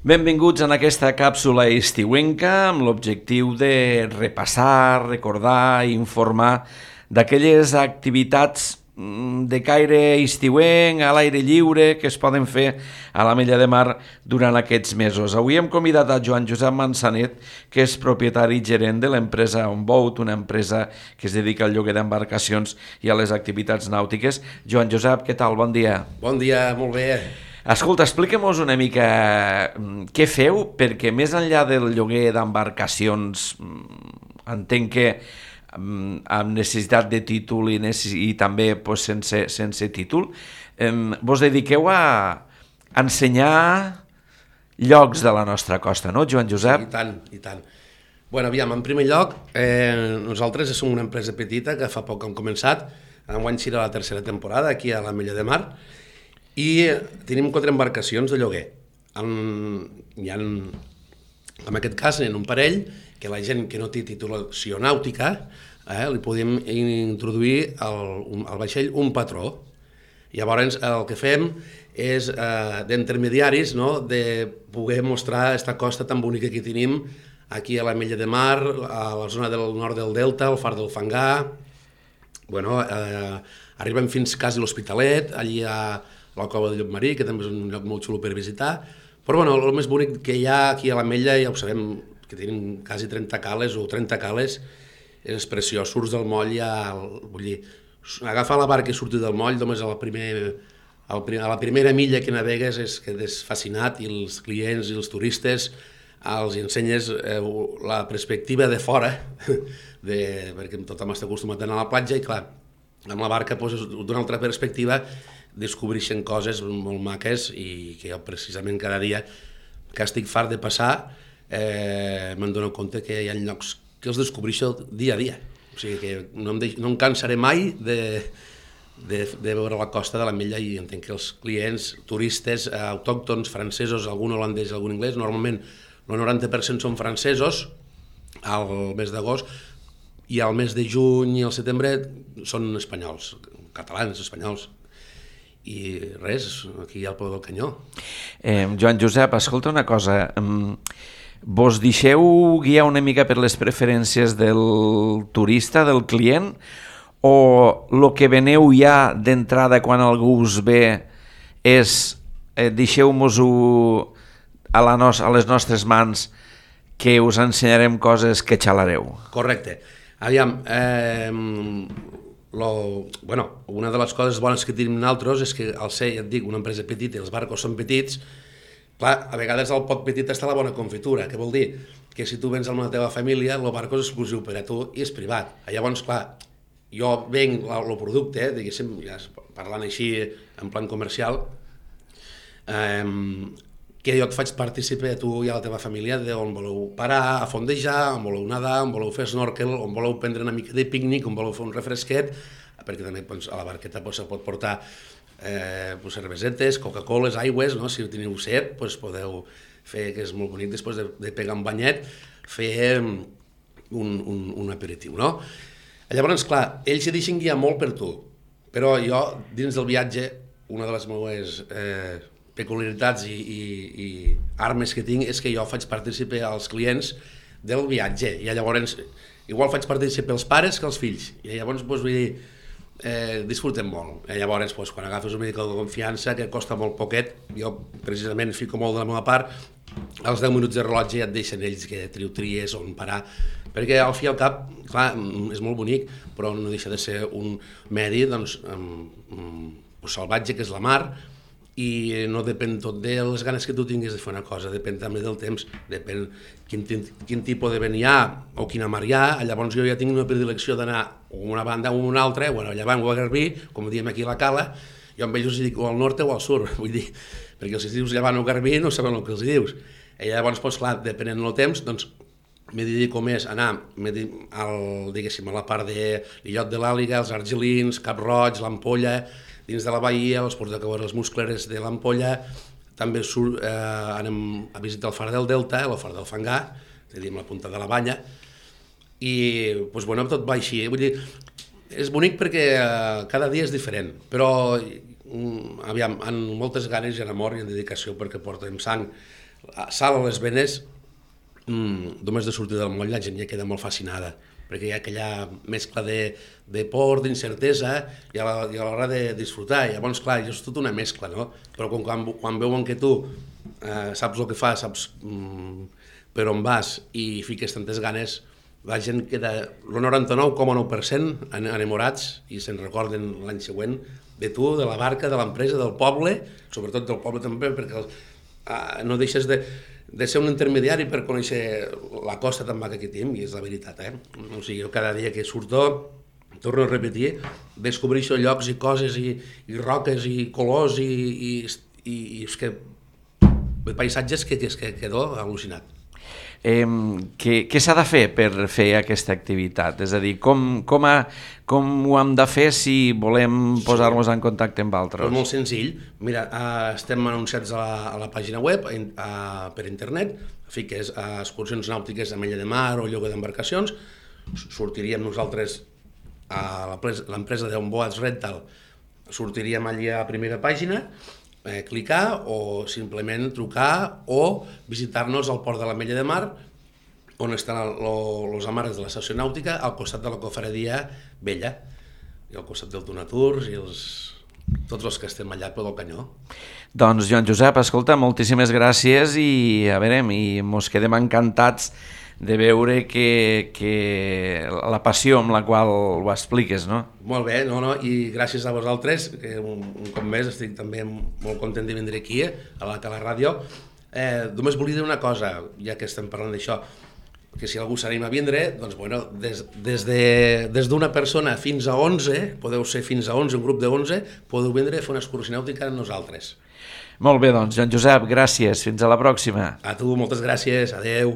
Benvinguts en aquesta càpsula estiuenca amb l'objectiu de repassar, recordar i informar d'aquelles activitats de caire estiuenc, a l'aire lliure, que es poden fer a l'Ametlla de Mar durant aquests mesos. Avui hem convidat a Joan Josep Manzanet, que és propietari i gerent de l'empresa OnBoat, una empresa que es dedica al lloguer d'embarcacions i a les activitats nàutiques. Joan Josep, què tal? Bon dia. Bon dia, molt bé. Escolta, expliquem-nos una mica què feu, perquè més enllà del lloguer d'embarcacions, entenc que amb necessitat de títol i també sense títol, vos dediqueu a ensenyar llocs de la nostra costa, no, Joan Josep? I tant, i tant. Bueno, aviam, en primer lloc, nosaltres som una empresa petita que fa poc hem començat, enguany serà la tercera temporada aquí a l'Ametlla de Mar, i tenim 4 embarcacions de lloguer. Hi ha, en aquest cas, en un parell, que la gent que no té titulació nàutica, li podem introduir al vaixell un patró. Llavors, el que fem és d'intermediaris, no?, de poder mostrar aquesta costa tan bonica que tenim aquí a l'Ametlla de Mar, a la zona del nord del Delta, al Far del Fangar. Bueno, arribem fins quasi l'Hospitalet, allí a la Cova de Llopmarí, que també és un lloc molt xulo per visitar. Però bueno, el més bonic que hi ha aquí a l'Ametlla, ja ho sabem, que tenim quasi 30 cales o 30 cales, és preciós. Surts del moll, vull dir, agafar la barca i sortir del moll, només a la primera milla que navegues és que és fascinat, i els clients i els turistes els ensenyes la perspectiva de fora, perquè tothom està acostumat a anar a la platja i clar, amb la barca d'una altra perspectiva descobreixen coses molt maques i que jo precisament cada dia que estic fart de passar me'n dono compte que hi ha llocs que els descobreixo dia a dia. O sigui que no em cansaré mai de veure la costa de l'Ametlla, i entenc que els clients, turistes, autòctons, francesos, algun holandès, algun anglès, normalment el 90% són francesos al mes d'agost, i al mes de juny i al setembre són espanyols, catalans, espanyols. I res, aquí hi ha el peu del canyó. Joan Josep, escolta una cosa, vos deixeu guiar una mica per les preferències del turista, del client, o el que veneu ja d'entrada quan algú us ve és deixeu-mos-ho a les nostres mans, que us ensenyarem coses que xalareu? Correcte. Aviam, una de les coses bones que tenim nosaltres és que al ser, ja et dic, una empresa petita i els barcos són petits, clar, a vegades al pot petit està la bona confitura, que vol dir que si tu vens amb la teva família, el barco és exclusiu per a tu i és privat. Llavors, clar, jo venc el producte, diguéssim, ja parlant així en plan comercial, que jo et faig partícipe a tu i a la teva família d'on voleu parar, a fondejar, on voleu nedar, on voleu fer snorkel, on voleu prendre una mica de pícnic, on voleu fer un refresquet, perquè també a la barqueta se pot portar cervesetes, Coca-Coles, aigües, si teniu set, podeu fer, que és molt bonic, després de pegar un banyet, fer un aperitiu, no? Llavors, clar, ells s'hi deixen guiar molt per tu, però jo, dins del viatge, una de les meves peculiaritats i armes que tinc és que jo faig partícipe als clients del viatge, i llavors igual faig partícipe als pares que als fills, i llavors vull dir, disfrutem molt. Llavors quan agafes una mica de confiança, que costa molt poquet, jo precisament fico molt de la meva part, als 10 minuts de rellotge ja et deixen ells que tries on parar, perquè al fi i al cap, clar, és molt bonic, però no deixa de ser un medi salvatge, que és la mar, i no depèn tot de les ganes que tu tinguis de fer una cosa, depèn també del temps, depèn quin tipus de vent hi ha o quina mar hi ha. Llavors jo ja tinc una predilecció d'anar a una banda o a una altra, o a llevant o a garbí, com diem aquí a la cala, jo amb ells els dic o al nord o al sud, vull dir, perquè els dius llevant o garbí no saben el que els dius. I llavors, clar, depenent del temps, doncs me dedico més a anar diguéssim, a la part de l'illot de l'Àliga, els Argelins, Cap Roig, l'Ampolla, dins de la bahia, els ports de Cabrera, les Muscleres de l'Ampolla, també anem a visitar el Far del Delta, el Far del Fangar, és a dir, amb la punta de la banya, i tot va així. Vull dir, és bonic perquè cada dia és diferent, però aviam, amb moltes ganes i en amor i en dedicació, perquè portem sang sal a les venes, només de sortir del moll la gent ja queda molt fascinada, perquè hi ha aquella mescla de por, d'incertesa i a l'hora de disfrutar. I llavors, clar, és tota una mescla, no? Però quan veuen que tu saps el que fas, saps per on vas i fiques tantes ganes, la gent queda el 99,9% enamorats i se'n recorden l'any següent de tu, de la barca, de l'empresa, del poble, sobretot del poble també, perquè no deixes de ser un intermediari per conèixer la costa tan maca que tenim, i és la veritat, O sigui, jo cada dia que surto, torno a repetir, descobreixo llocs i coses i roques i colors i és que paisatges que quedo al·lucinat. Què s'ha de fer per fer aquesta activitat? És a dir, com ho hem de fer si volem posar-nos en contacte amb altres? És molt senzill. Mira, estem anunciats a la pàgina web per internet, fiques excursions nàutiques a Mella de Mar o lloguer d'embarcacions, sortiríem nosaltres a l'empresa d'On Boats Rental, sortiríem allà a la primera pàgina, clicar o simplement trucar o visitar-nos al port de la Mella de Mar, on estan els amarres de l'estació nàutica, al costat de la cofradia vella, i al costat del Donaturs i tots els que estem allà pel Canyó. Doncs, Joan Josep, escolta, moltíssimes gràcies i a veure, mos quedem encantats de veure que la passió amb la qual ho expliques, no? Molt bé, i gràcies a vosaltres, que un cop més estic també molt content de vindre aquí, a la ràdio. Només volia dir una cosa, ja que estem parlant d'això, que si algú s'anima a vindre, doncs bueno, des d'una persona fins a 11, podeu ser fins a 11, un grup de 11, podeu vindre a fer una excursió nàutica amb nosaltres. Molt bé, doncs, Joan Josep, gràcies. Fins a la pròxima. A tu, moltes gràcies. Adeu.